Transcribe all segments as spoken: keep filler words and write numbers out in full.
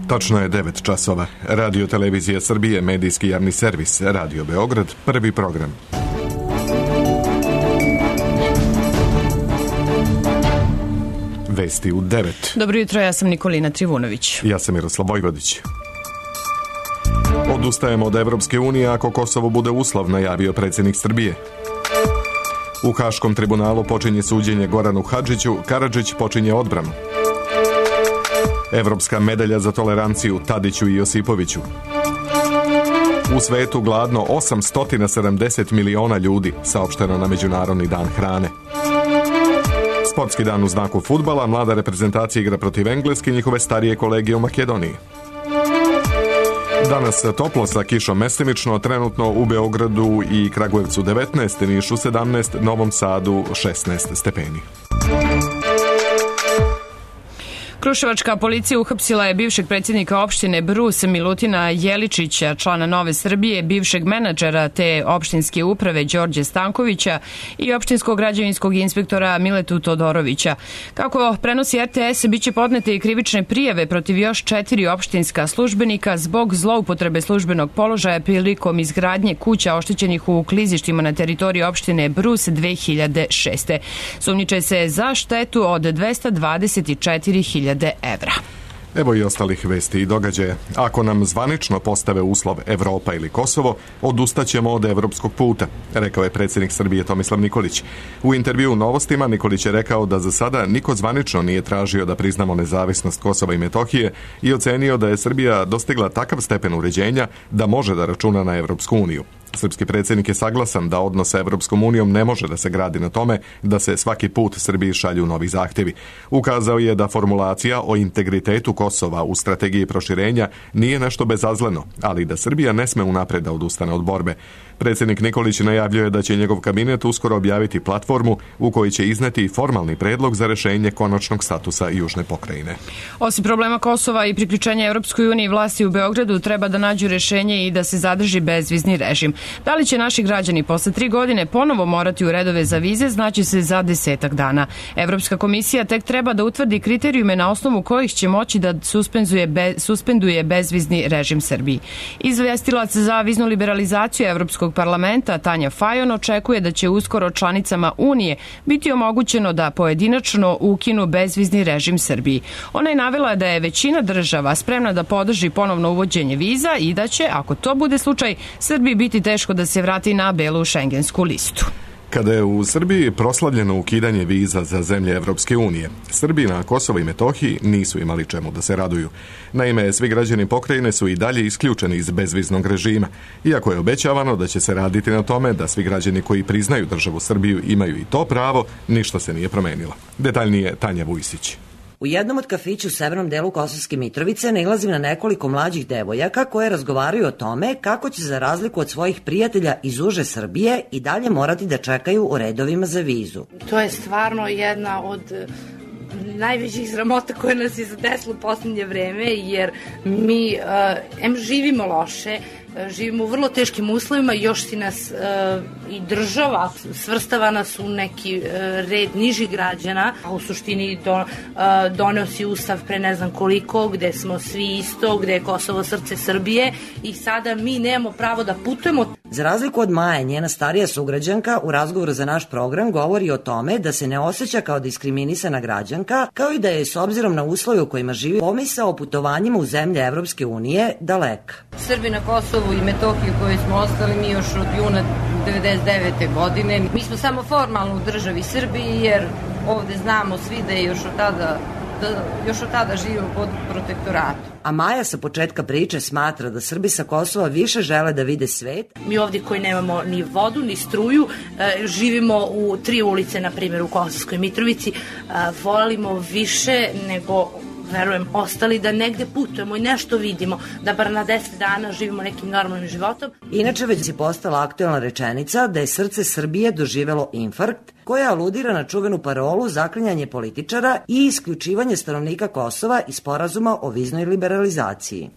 Tačno je devet časova. Radio Televizija Srbije, medijski javni servis, Radio Beograd, prvi program. Vesti u devet. Dobro jutro, ja sam Nikolina Trivunović. Ja sam Miroslav Vojvodić. Odustajemo od Evropske unije ako Kosovo bude uslov, najavio predsjednik Srbije. U Haškom tribunalu počinje suđenje Goranu Hadžiću, Karadžić počinje odbranu. Evropska medalja za toleranciju Tadiću i Josipoviću. U svetu gladno osamsto sedamdeset miliona ljudi, saopšteno na Međunarodni dan hrane. Sportski dan u znaku fudbala, mlada reprezentacija igra protiv Engleske i njihove starije kolege u Makedoniji. Danas toplo sa kišom mestimično, trenutno u Beogradu i Kragujevcu devetnaest, Nišu sedamnaest, Novom Sadu šesnaest stepeni. Kruševačka policija uhapsila je bivšeg predsjednika opštine Brus Milutina Jeličića, člana Nove Srbije, bivšeg menadžera te opštinske uprave Đorđe Stankovića i opštinskog građevinskog inspektora Miletu Todorovića. Kako prenosi R T S, biće podnete i krivične prijave protiv još četiri opštinska službenika zbog zloupotrebe službenog položaja prilikom izgradnje kuća oštećenih u klizištima na teritoriji opštine Brus dve hiljade šeste. Sumnjiče se za štetu od dvesta dvadeset četiri hiljade evra. Evo i ostalih vesti i događaja. Ako nam zvanično postave uslov Evropa ili Kosovo, odustaćemo od evropskog puta, rekao je predsjednik Srbije Tomislav Nikolić. U intervju u Novostima Nikolić je rekao da za sada niko zvanično nije tražio da priznamo nezavisnost Kosova i Metohije i ocenio da je Srbija dostigla takav stepen uređenja da može da računa na Evropsku uniju. Srpski predsjednik je saglasan da odnos sa Evropskom unijom ne može da se gradi na tome da se svaki put Srbiji šalju novi zahtjevi. Ukazao je da formulacija o integritetu Kosova u strategiji proširenja nije nešto bezazleno, ali da Srbija ne sme unapred da odustane od borbe. Predsjednik Nikolić najavljuje da će njegov kabinet uskoro objaviti platformu u kojoj će izneti formalni predlog za rešenje konačnog statusa južne pokrajine. Osim problema Kosova i priključenja Evropskoj uniji, vlasti u Beogradu treba da nađu rešenje i da se zadrži bezvizni režim. Da li će naši građani posle tri godine ponovo morati u redove za vize, znači se za desetak dana. Evropska komisija tek treba da utvrdi kriterijume na osnovu kojih će moći da suspenduje, be, suspenduje bezvizni režim Srbiji. Izvestilac za viznu liberalizaciju Evropskog parlamenta Tanja Fajon očekuje da će uskoro članicama Unije biti omogućeno da pojedinačno ukinu bezvizni režim Srbiji. Ona je navela da je većina država spremna da podrži ponovno uvođenje viza i da će, ako to bude slučaj, Srbiji biti teško da se vrati na belu šengensku listu. Kada je u Srbiji proslavljeno ukidanje viza za zemlje Evropske unije, Srbi na Kosovo i Metohiji nisu imali čemu da se raduju. Naime, svi građani pokrajine su i dalje isključeni iz bezviznog režima, iako je obećavano da će se raditi na tome da svi građani koji priznaju državu Srbiju imaju i to pravo, ništa se nije promenilo. Detaljnije Tanja Vujsić. U jednom od kafića u severnom delu Kosovske Mitrovice nailazim na nekoliko mlađih devojaka koje razgovaraju o tome kako će za razliku od svojih prijatelja iz uže Srbije i dalje morati da čekaju u redovima za vizu. To je stvarno jedna od najvećih sramota koje nas je zadesilo u posljednje vreme, jer mi uh, em živimo loše, živimo u vrlo teškim uslovima, još si nas uh, i država svrstava nas u neki uh, red nižih građana, a u suštini do, uh, doneo si ustav pre ne znam koliko, gde smo svi isto, gde je Kosovo srce Srbije i sada mi nemamo pravo da putujemo. Za razliku od Maje, njena starija sugrađanka u razgovoru za naš program govori o tome da se ne osjeća kao diskriminisana građanka, kao i da je s obzirom na uslove u kojima živi pomisao o putovanjima u zemlje Evropske unije daleka. Srbi na Kosovu i Metohiju koji smo ostali mi još od juna devedeset devete godine. Mi smo samo formalno u državi Srbiji jer ovde znamo svi da je još od tada, da još od tada živimo pod protektoratom. A Maja sa početka priče smatra da Srbi sa Kosova više žele da vide svet. Mi ovdje koji nemamo ni vodu, ni struju, živimo u tri ulice, na primjer u Kosovskoj Mitrovici, volimo više nego verujem, ostali da negde putujemo i nešto vidimo, da bar na deset dana živimo nekim normalnim životom. Inače već je postala aktuelna rečenica da je srce Srbije doživelo infarkt, koja aludira na čuvenu parolu zaklinjanje političara i isključivanje stanovnika Kosova iz sporazuma o viznoj liberalizaciji.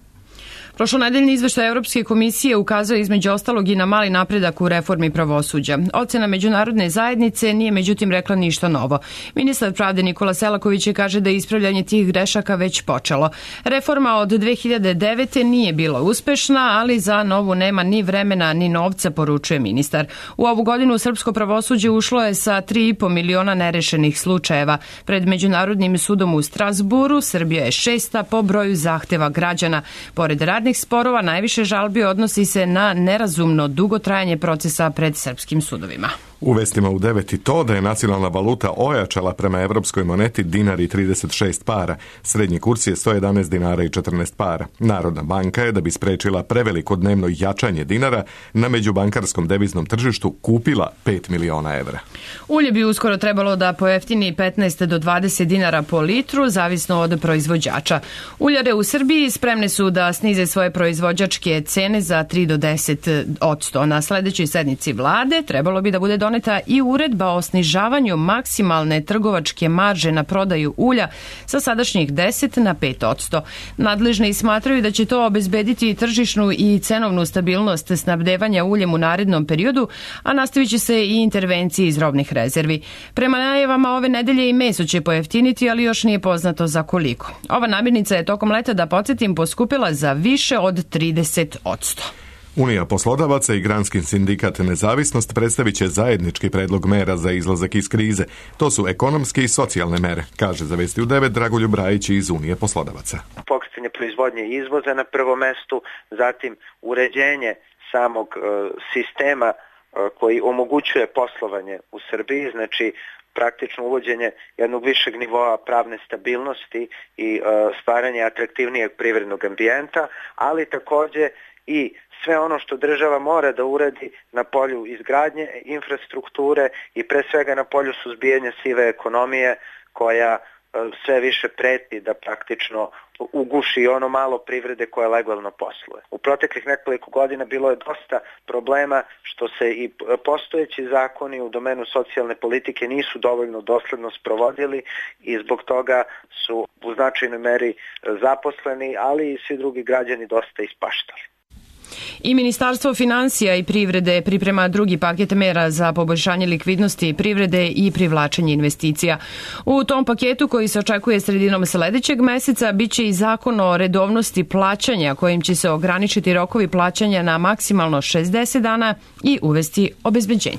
Prošlonedeljni izveštaj Evropske komisije ukazuje između ostalog i na mali napredak u reformi pravosuđa. Ocena međunarodne zajednice nije međutim rekla ništa novo. Ministar pravde Nikola Selaković je kaže da je ispravljanje tih grešaka već počelo. Reforma od dve hiljade devete. nije bila uspešna, ali za novu nema ni vremena ni novca, poručuje ministar. U ovu godinu srpsko pravosuđe ušlo je sa tri i po miliona nerešenih slučajeva. Pred Međunarodnim sudom u Strasburu Srbija je šesta po broju zahteva građana. Pored radnih sporova, najviše žalbi odnosi se na nerazumno dugo trajanje procesa pred srpskim sudovima. U vestima u devet i to da je nacionalna valuta ojačala prema evropskoj moneti dinar i trideset šest para. Srednji kurs je sto jedanaest dinara i četrnaest para. Narodna banka je, da bi sprečila preveliko dnevno jačanje dinara, na međubankarskom deviznom tržištu kupila pet miliona evra. Ulje bi uskoro trebalo da pojeftini petnaest do dvadeset dinara po litru, zavisno od proizvođača. Uljare u Srbiji spremne su da snize svoje proizvođačke cene za tri do deset odsto. Na sledećoj sednici vlade trebalo bi da bude doneta i uredba o snižavanju maksimalne trgovačke marže na prodaju ulja sa sadašnjih deset na pet odsto. Nadležni smatraju da će to obezbediti tržišnu i cenovnu stabilnost snabdevanja uljem u narednom periodu, a nastavit će se i intervencije iz robnih rezervi. Prema najavama ove nedelje i meso će pojeftiniti, ali još nije poznato za koliko. Ova namirnica je tokom leta, da podsjetim, poskupila za više od trideset odsto. Unija poslodavaca i Granski sindikat Nezavisnost predstavit će zajednički predlog mera za izlazak iz krize. To su ekonomske i socijalne mere, kaže za Vesti u devet Dragoljub Brajić iz Unije poslodavaca. Pokricanje proizvodnje i izvoza na prvom mestu, zatim uređenje samog e, sistema e, koji omogućuje poslovanje u Srbiji, znači praktično uvođenje jednog višeg nivoa pravne stabilnosti i e, stvaranje atraktivnijeg privrednog ambijenta, ali takođe i sve ono što država mora da uradi na polju izgradnje infrastrukture i pre svega na polju suzbijanja sive ekonomije koja sve više preti da praktično uguši ono malo privrede koja legalno posluje. U proteklih nekoliko godina bilo je dosta problema što se i postojeći zakoni u domenu socijalne politike nisu dovoljno dosledno sprovodili i zbog toga su u značajnoj meri zaposleni, ali i svi drugi građani dosta ispaštali. I Ministarstvo finansija i privrede priprema drugi paket mera za poboljšanje likvidnosti privrede i privlačenje investicija. U tom paketu, koji se očekuje sredinom sledećeg meseca, biće i zakon o redovnosti plaćanja, kojim će se ograničiti rokovi plaćanja na maksimalno šezdeset dana i uvesti obezbeđenje.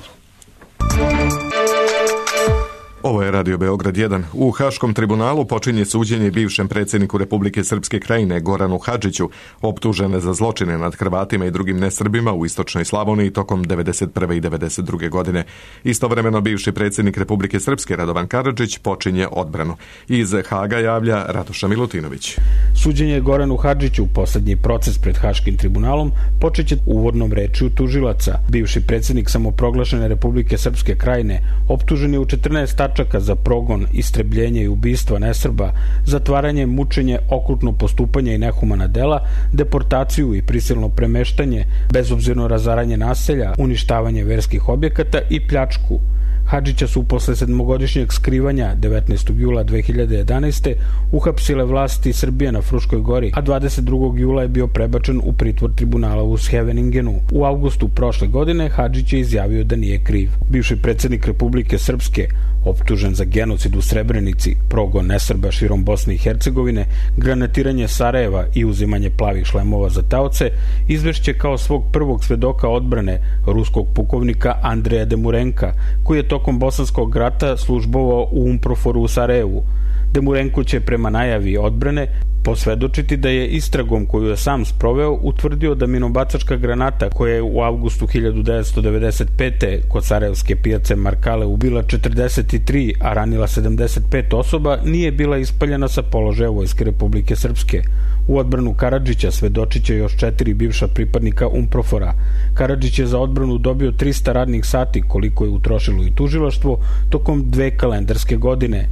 Ovo je Radio Beograd jedan. U Haškom tribunalu počinje suđenje bivšem predsjedniku Republike Srpske Krajine Goranu Hadžiću, optužene za zločine nad Hrvatima i drugim nesrbima u istočnoj Slavoniji tokom devedeset prve i devedeset druge godine. Istovremeno bivši predsjednik Republike Srpske Radovan Karadžić počinje odbranu. Iz Haga javlja Ratoša Milutinović. Suđenje Goranu Hadžiću, poslednji proces pred Haškim tribunalom, počeće uvodnom rečju tužilaca. Bivši predsjednik samoproglašene Republike Srpske Krajine optužen je u četrnaest tačaka za progon, istrebljenje i ubistva nesrba, zatvaranje, mučenje, okrutno postupanje i nehumana dela, deportaciju i prisilno premeštanje, bezobzirno razaranje naselja, uništavanje verskih objekata i pljačku. Hadžića su posle sedmogodišnjeg skrivanja devetnaestog jula dve hiljade jedanaeste. uhapsile vlasti Srbije na Fruškoj gori, a dvadeset drugog jula je bio prebačen u pritvor tribunala u Scheveningenu. U avgustu prošle godine Hadžić je izjavio da nije kriv. Bivši predsjednik Republike Srpske, optužen za genocid u Srebrenici, progon nesrba širom Bosne i Hercegovine, granatiranje Sarajeva i uzimanje plavih šlemova za taoce, izvešće kao svog prvog svedoka odbrane ruskog pukovnika Andreja Demurenka, koji je tokom Bosanskog rata službovao u Umproforu u Sarajevu. Demurenko će prema najavi odbrane posvedočiti da je istragom koju je sam sproveo utvrdio da minobacačka granata koja je u avgustu hiljadu devetsto devedeset pete. kod sarajevske pijace Markale ubila četrdeset tri, a ranila sedamdeset pet osoba, nije bila ispaljena sa položaja Vojske Republike Srpske. U odbranu Karadžića svedočit će još četiri bivša pripadnika Umprofora. Karadžić je za odbranu dobio trista radnih sati, koliko je utrošilo i tužilaštvo, tokom dve kalendarske godine.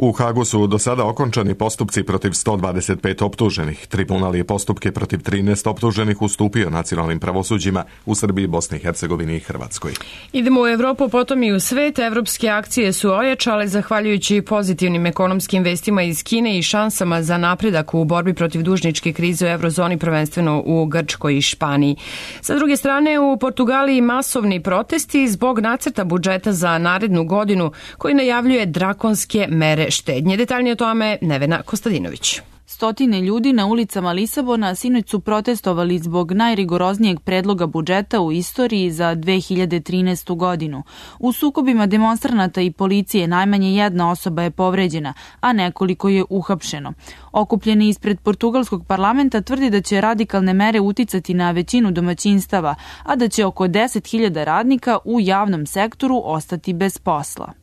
U Hagu su do sada okončani postupci protiv sto dvadeset pet optuženih. Tribunal je postupke protiv trinaest optuženih ustupio nacionalnim pravosuđima u Srbiji, Bosni i Hercegovini i Hrvatskoj. Idemo u Evropu, potom i u svet. Evropske akcije su ojačale zahvaljujući pozitivnim ekonomskim vestima iz Kine i šansama za napredak u borbi protiv dužničke krize u eurozoni, prvenstveno u Grčkoj i Španiji. Sa druge strane, u Portugaliji masovni protesti zbog nacrta budžeta za narednu godinu koji najavljuje drakonske mere štednje. Detaljnije o tome Nevena Kostadinović. Stotine ljudi na ulicama Lisabona sinoć su protestovali zbog najrigoroznijeg predloga budžeta u istoriji za dve hiljade trinaestu godinu. U sukobima demonstranata i policije najmanje jedna osoba je povređena, a nekoliko je uhapšeno. Okupljeni ispred portugalskog parlamenta tvrdi da će radikalne mere uticati na većinu domaćinstava, a da će oko deset hiljada radnika u javnom sektoru ostati bez posla.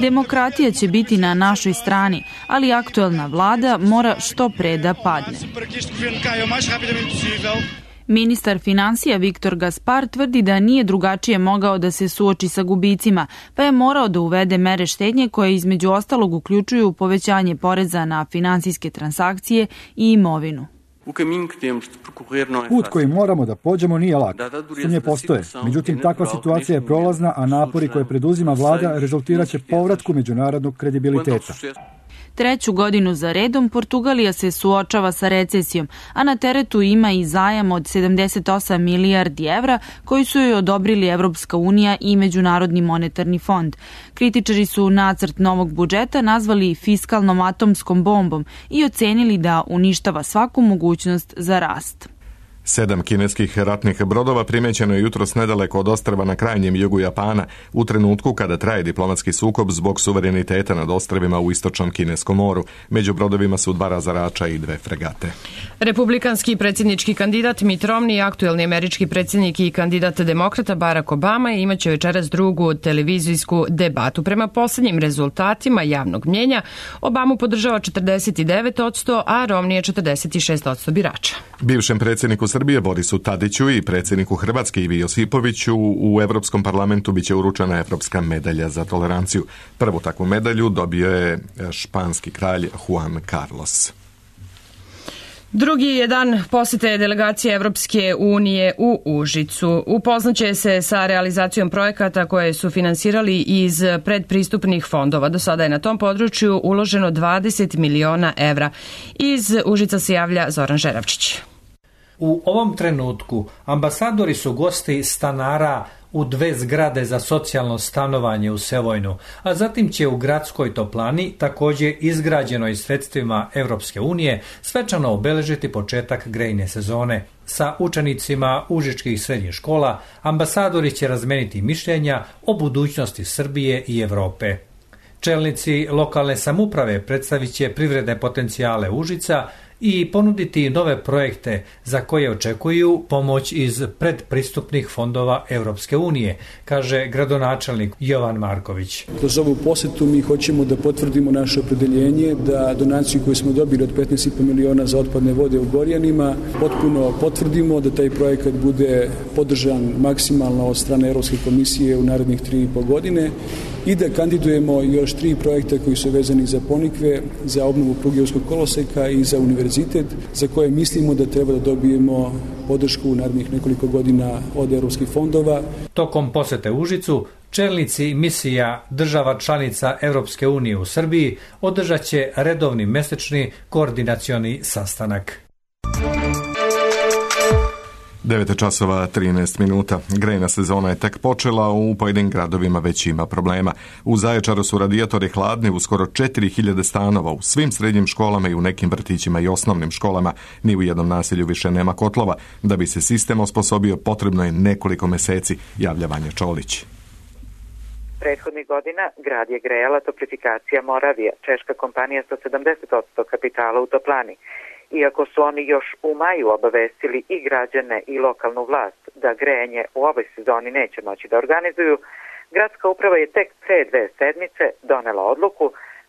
Demokratija će biti na našoj strani, ali aktuelna vlada mora što pre da padne. Ministar finansija Viktor Gaspar tvrdi da nije drugačije mogao da se suoči sa gubicima, pa je morao da uvede mere štednje koje između ostalog uključuju povećanje poreza na finansijske transakcije i imovinu. Put koji moramo da pođemo nije lak. Sumnje postoje. Međutim, takva situacija je prolazna, a napori koje preduzima vlada rezultirat će povratku međunarodnog kredibiliteta. Treću godinu za redom Portugalija se suočava sa recesijom, a na teretu ima i zajam od sedamdeset osam milijardi evra koji su joj odobrili Evropska unija i Međunarodni monetarni fond. Kritičari su nacrt novog budžeta nazvali fiskalnom atomskom bombom i ocenili da uništava svaku mogućnost za rast. Sedam kineskih ratnih brodova primećeno je jutros nedaleko od ostrva na krajnjem jugu Japana u trenutku kada traje diplomatski sukob zbog suvereniteta nad ostrvima u istočnom kineskom moru. Među brodovima su dva razarača i dve fregate. Republikanski predsjednički kandidat Mitt Romney, aktuelni američki predsjednik i kandidat demokrata Barack Obama imaće večeras drugu televizijsku debatu. Prema posljednjim rezultatima javnog mnjenja, Obamu podržava četrdeset devet posto, a Romney je četrdeset šest posto birača. Bivšem predsjedniku Srbije Borisu Tadiću i predsjedniku Hrvatske Ivi Josipoviću u Evropskom parlamentu biće uručena Evropska medalja za toleranciju. Prvu takvu medalju dobio je španski kralj Juan Carlos. Drugi je dan posete delegacije Evropske unije u Užicu. Upoznaće se sa realizacijom projekata koje su finansirali iz predpristupnih fondova. Do sada je na tom području uloženo dvadeset miliona evra. Iz Užica se javlja Zoran Žeravčić. U ovom trenutku ambasadori su gosti stanara u dve zgrade za socijalno stanovanje u Sevojnu, a zatim će u gradskoj toplani, također izgrađenoj sredstvima Evropske unije, svečano obeležiti početak grejne sezone. Sa učenicima užičkih srednjih škola ambasadori će razmeniti mišljenja o budućnosti Srbije i Evrope. Čelnici lokalne samouprave predstavit će privredne potencijale Užica i ponuditi nove projekte za koje očekuju pomoć iz predpristupnih fondova Evropske unije, kaže gradonačelnik Jovan Marković. Kroz ovu posetu mi hoćemo da potvrdimo naše opredeljenje da donaciju koju smo dobili od petnaest i po miliona za otpadne vode u Gorjanima potpuno potvrdimo, da taj projekat bude podržan maksimalno od strane Evropske komisije u narednih tri i po godine i da kandidujemo još tri projekta koji su vezani za Ponikve, za obnovu Prugijevskog koloseka i za univerzitet, za koje mislimo da treba da dobijemo podršku u narednih nekoliko godina od evropskih fondova. Tokom posete Užicu, čelnici misija država članica Evropske unije u Srbiji održat će redovni mesečni koordinacioni sastanak. devet časova trinaest minuta. Grejna sezona je tek počela, u pojedinim gradovima već ima problema. U Zaječaru su radijatori hladni u skoro četiri hiljade stanova, u svim srednjim školama i u nekim vrtićima i osnovnim školama. Ni u jednom naselju više nema kotlova. Da bi se sistem osposobio, potrebno je nekoliko meseci, javlja Vanja Čolić. Prethodnih godina grad je grejala Toplifikacija Moravija, češka kompanija sa sedamdeset posto kapitala u toplani. Iako su oni još u maju obavestili i građane i lokalnu vlast da grejanje u ovoj sezoni neće moći da organizuju, gradska uprava je tek pre dve sedmice donela odluku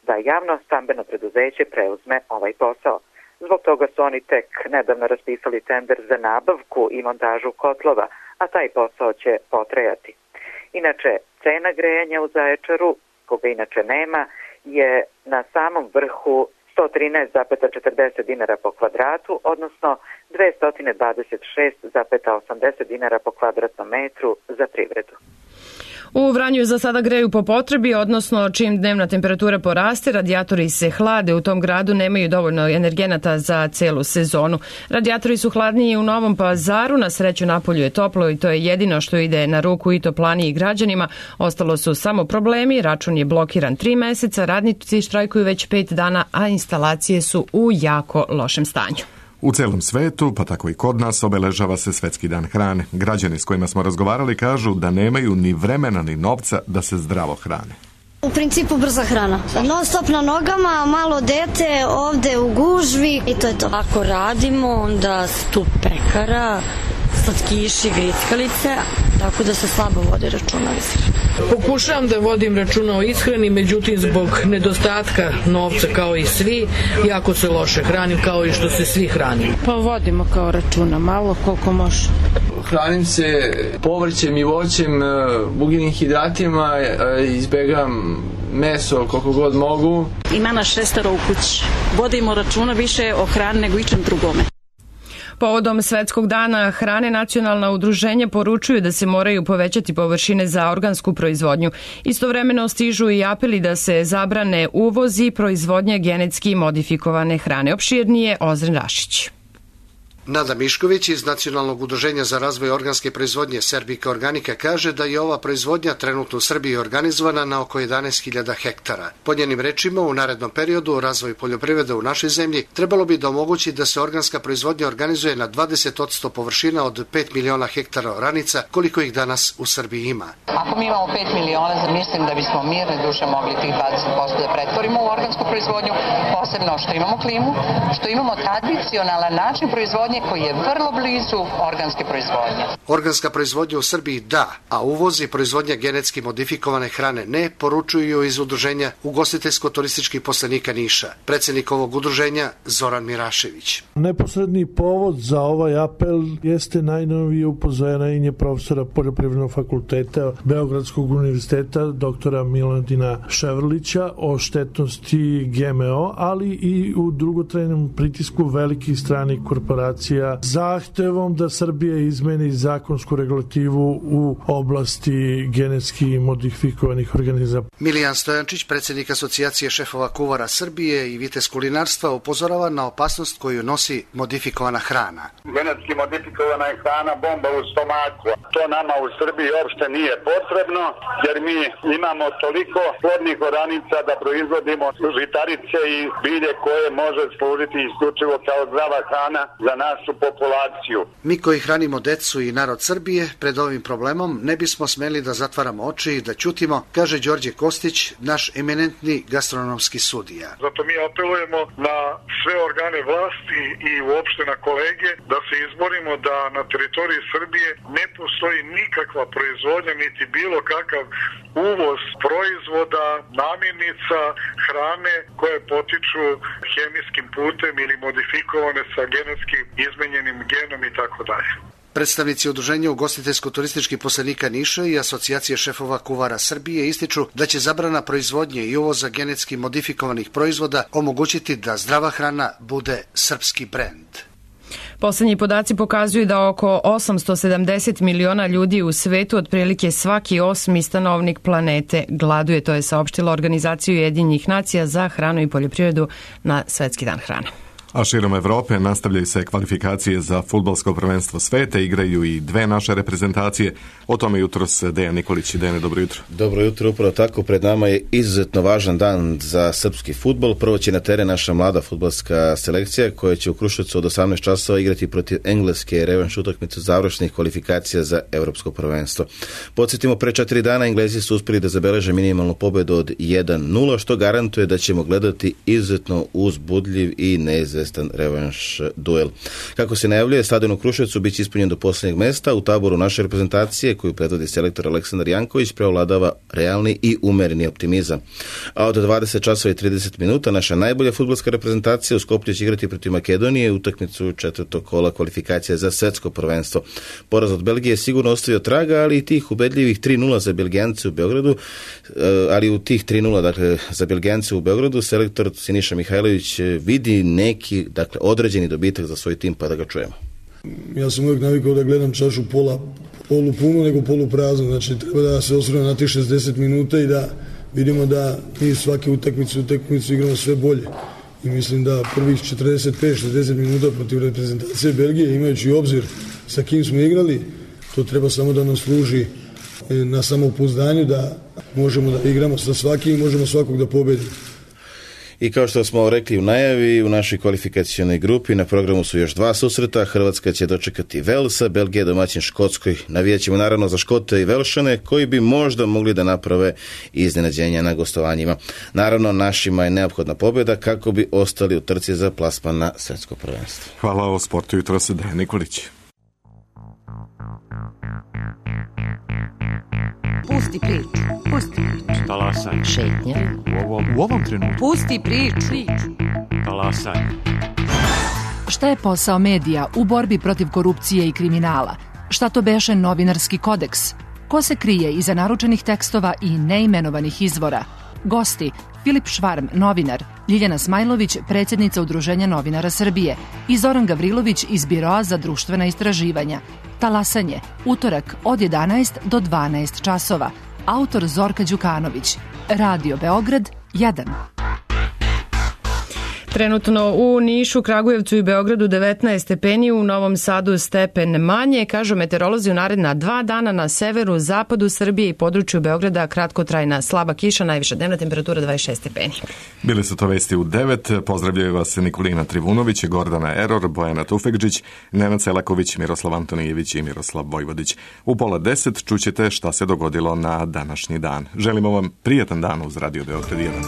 da javno stambeno preduzeće preuzme ovaj posao. Zbog toga su oni tek nedavno raspisali tender za nabavku i montažu kotlova, a taj posao će potrajati. Inače, cena grejanja u Zaječaru koga inače nema, je na samom vrhu sto trinaest zarez četrdeset dinara po kvadratu, odnosno dvesta dvadeset šest zarez osamdeset dinara po kvadratnom metru za privredu. U Vranju za sada greju po potrebi, odnosno čim dnevna temperatura poraste, radijatori se hlade. U tom gradu nemaju dovoljno energenata za celu sezonu. Radijatori su hladniji u Novom Pazaru, na sreću napolju je toplo i to je jedino što ide na ruku i toplani i građanima. Ostalo su samo problemi, račun je blokiran tri meseca, radnici štrajkuju već pet dana, a instalacije su u jako lošem stanju. U celom svetu, pa tako i kod nas, obeležava se Svetski dan hrane. Građani s kojima smo razgovarali kažu da nemaju ni vremena ni novca da se zdravo hrane. U principu brza hrana. Non stop na nogama, malo dete, ovde u gužvi i to je to. Ako radimo, onda stup pekara, slatkiši, grickalice, tako da se slabo vode računa o ishrani. Pokušavam da vodim računa o ishrani, međutim zbog nedostatka novca kao i svi, jako se loše hranim kao i što se svi hranimo. Pa vodimo kao računa, malo koliko može. Hranim se povrćem i voćem, ugljenim hidratima, izbegavam meso koliko god mogu. Ima nas šestero u kući. Vodimo računa više o hrani nego ičem drugome. Povodom Svetskog dana hrane nacionalna udruženja poručuju da se moraju povećati površine za organsku proizvodnju. Istovremeno stižu i apeli da se zabrane uvoz i proizvodnja genetski modifikovane hrane. Opširnije Ozren Rašić. Nada Mišković iz Nacionalnog udruženja za razvoj organske proizvodnje Serbika Organika kaže da je ova proizvodnja trenutno u Srbiji organizovana na oko jedanaest hiljada hektara. Po njenim rečima, u narednom periodu razvoj poljoprivrede u našoj zemlji trebalo bi da omogući da se organska proizvodnja organizuje na dvadeset posto površina od pet miliona hektara oranica, koliko ih danas u Srbiji ima. Ako mi imamo pet miliona, mislim da bismo mirne duše mogli tih dvadeset posto da pretvorimo u organsku proizvodnju, posebno što imamo klimu, što imamo tradicionalan način proizvodnje koji je vrlo blizu organske proizvodnje. Organska proizvodnja u Srbiji da, a uvoz i proizvodnja genetski modifikovane hrane ne, poručuju iz udruženja ugostiteljsko-turističkih poslanika Niša. Predsednik ovog udruženja Zoran Mirašević. Neposredni povod za ovaj apel jeste najnovije upozorenje profesora Poljoprivrednog fakulteta Beogradskog univerziteta doktora Miladina Ševrlića o štetnosti G M O, ali i u dugotrajnom pritisku velikih stranih korporacija zahtevom da Srbija izmeni zakonsku regulativu u oblasti genetski modifikovanih organizama. Milijan Stojančić, predsjednik Asocijacije šefova kuvara Srbije i vitez kulinarstva, upozorava na opasnost koju nosi modifikovana hrana. Genetski modifikovana je hrana bomba u stomaku. To nama u Srbiji uopšte nije potrebno, jer mi imamo toliko plodnih oranica da proizvodimo žitarice i bilje koje može služiti isključivo kao zdrava hrana za našu populaciju. Mi koji hranimo decu i narod Srbije pred ovim problemom ne bismo smeli da zatvaramo oči i da ćutimo, kaže Đorđe Kostić, naš eminentni gastronomski sudija. Zato mi apelujemo na sve organe vlasti i uopšte na kolege da se izborimo da na teritoriji Srbije ne postoji nikakva proizvodnja niti bilo kakav uvoz proizvoda, namirnica, hrane koje potiču hemijskim putem ili modifikovane sa genetski izmenjenim genom i tako dalje. Predstavnici udruženja ugostiteljsko-turističkih poslanika Niša i Asocijacije šefova kuvara Srbije ističu da će zabrana proizvodnje i uvoza genetski modifikovanih proizvoda omogućiti da zdrava hrana bude srpski brend. Poslednji podaci pokazuju da oko osamsto sedamdeset miliona ljudi u svetu, otprilike svaki osmi stanovnik planete, gladuje. To je saopštila Organizacija Ujedinjenih nacija za hranu i poljoprivredu na Svetski dan hrane. A širom Evrope nastavljaju se kvalifikacije za fudbalsko prvenstvo sveta, igraju i dve naše reprezentacije. O tome jutros Dejan Nikolić. Dejane, dobro jutro. Dobro jutro, upravo tako. Pred nama je izuzetno važan dan za srpski fudbal. Prvo će na teren naša mlada fudbalska selekcija koja će u Kruševcu od osamnaest časova igrati protiv Engleske revanš utakmicu završnih kvalifikacija za evropsko prvenstvo. Podsjetimo, pre četiri dana Englezi su uspeli da zabeleže minimalnu pobedu od jedan nula, što garantuje da ćemo gledati izuzetno uzbudljiv i neizvestan izvestan revanš duel. Kako se najavljuje, stadion u Kruševcu biće ispunjen do posljednjeg mesta. U taboru naše reprezentacije, koju predvodi selektor Aleksandar Janković, preovladava realni i umereni optimizam. A od dvadeset časova i trideset minuta naša najbolja fudbalska reprezentacija u Skoplju će igrati protiv Makedonije utakmicu četvrtog kola kvalifikacija za svetsko prvenstvo. Poraz od Belgije je sigurno ostavio traga, ali i tih ubedljivih tri nula za Belgijance u Beogradu, ali u tih tri nula dakle, za Belgijance u Beogradu selektor Siniša Mihajlović vidi neki dakle, određeni dobitak za svoj tim, pa da ga čujemo. Ja sam uvijek navikao da gledam čašu pola, polu punu nego polu praznu, znači treba da se osvrnemo na tih šezdeset minuta i da vidimo da mi svake utakmice utakmicu igramo sve bolje. I mislim da prvih četrdeset pet šezdeset minuta protiv reprezentacije Belgije, imajući obzir sa kim smo igrali, to treba samo da nam služi na samopouzdanju da možemo da igramo sa svakim i možemo svakog da pobedimo. I kao što smo rekli u najavi, u našoj kvalifikacionoj grupi na programu su još dva susreta. Hrvatska će dočekati Velsa, Belgija domaćin Škotskoj. Navijaćemo naravno za Škote i Velšane koji bi možda mogli da naprave iznenađenja na gostovanjima. Naravno, našima je neophodna pobjeda kako bi ostali u trci za plasman na svetsko prvenstvo. Hvala o sportu jutro se Dejan Nikolić. Pusti priču, pusti priču. Talasaj. Šetnja. U ovom, u ovom trenutku. Pusti priču. Talasaj. Šta je posao medija u borbi protiv korupcije i kriminala? Šta to beše novinarski kodeks? Ko se krije iza naručenih tekstova i neimenovanih izvora? Gosti: Filip Švarm, novinar, Ljiljana Smajlović, predsjednica Udruženja novinara Srbije i Zoran Gavrilović iz Biroa za društvena istraživanja. Talasanje, utorak od jedanaest do dvanaest časova. Autor Zorka Đukanović. Radio Beograd jedan. Trenutno u Nišu, Kragujevcu i Beogradu devetnaest stepeni, u Novom Sadu stepen manje. Kažu meteorolozi, u naredna dva dana na severu, zapadu Srbije i području Beograda kratkotrajna slaba kiša, najviša dnevna temperatura dvadeset šest stepeni. Bili su to vesti u devet. Pozdravljaju vas Nikolina Trivunović, Gordana Eror, Bojana Tufekđić, Nenad Selaković, Miroslav Antonijević i Miroslav Vojvodić. U pola deset čućete šta se dogodilo na današnji dan. Želimo vam prijatan dan uz Radio Beograd jedan.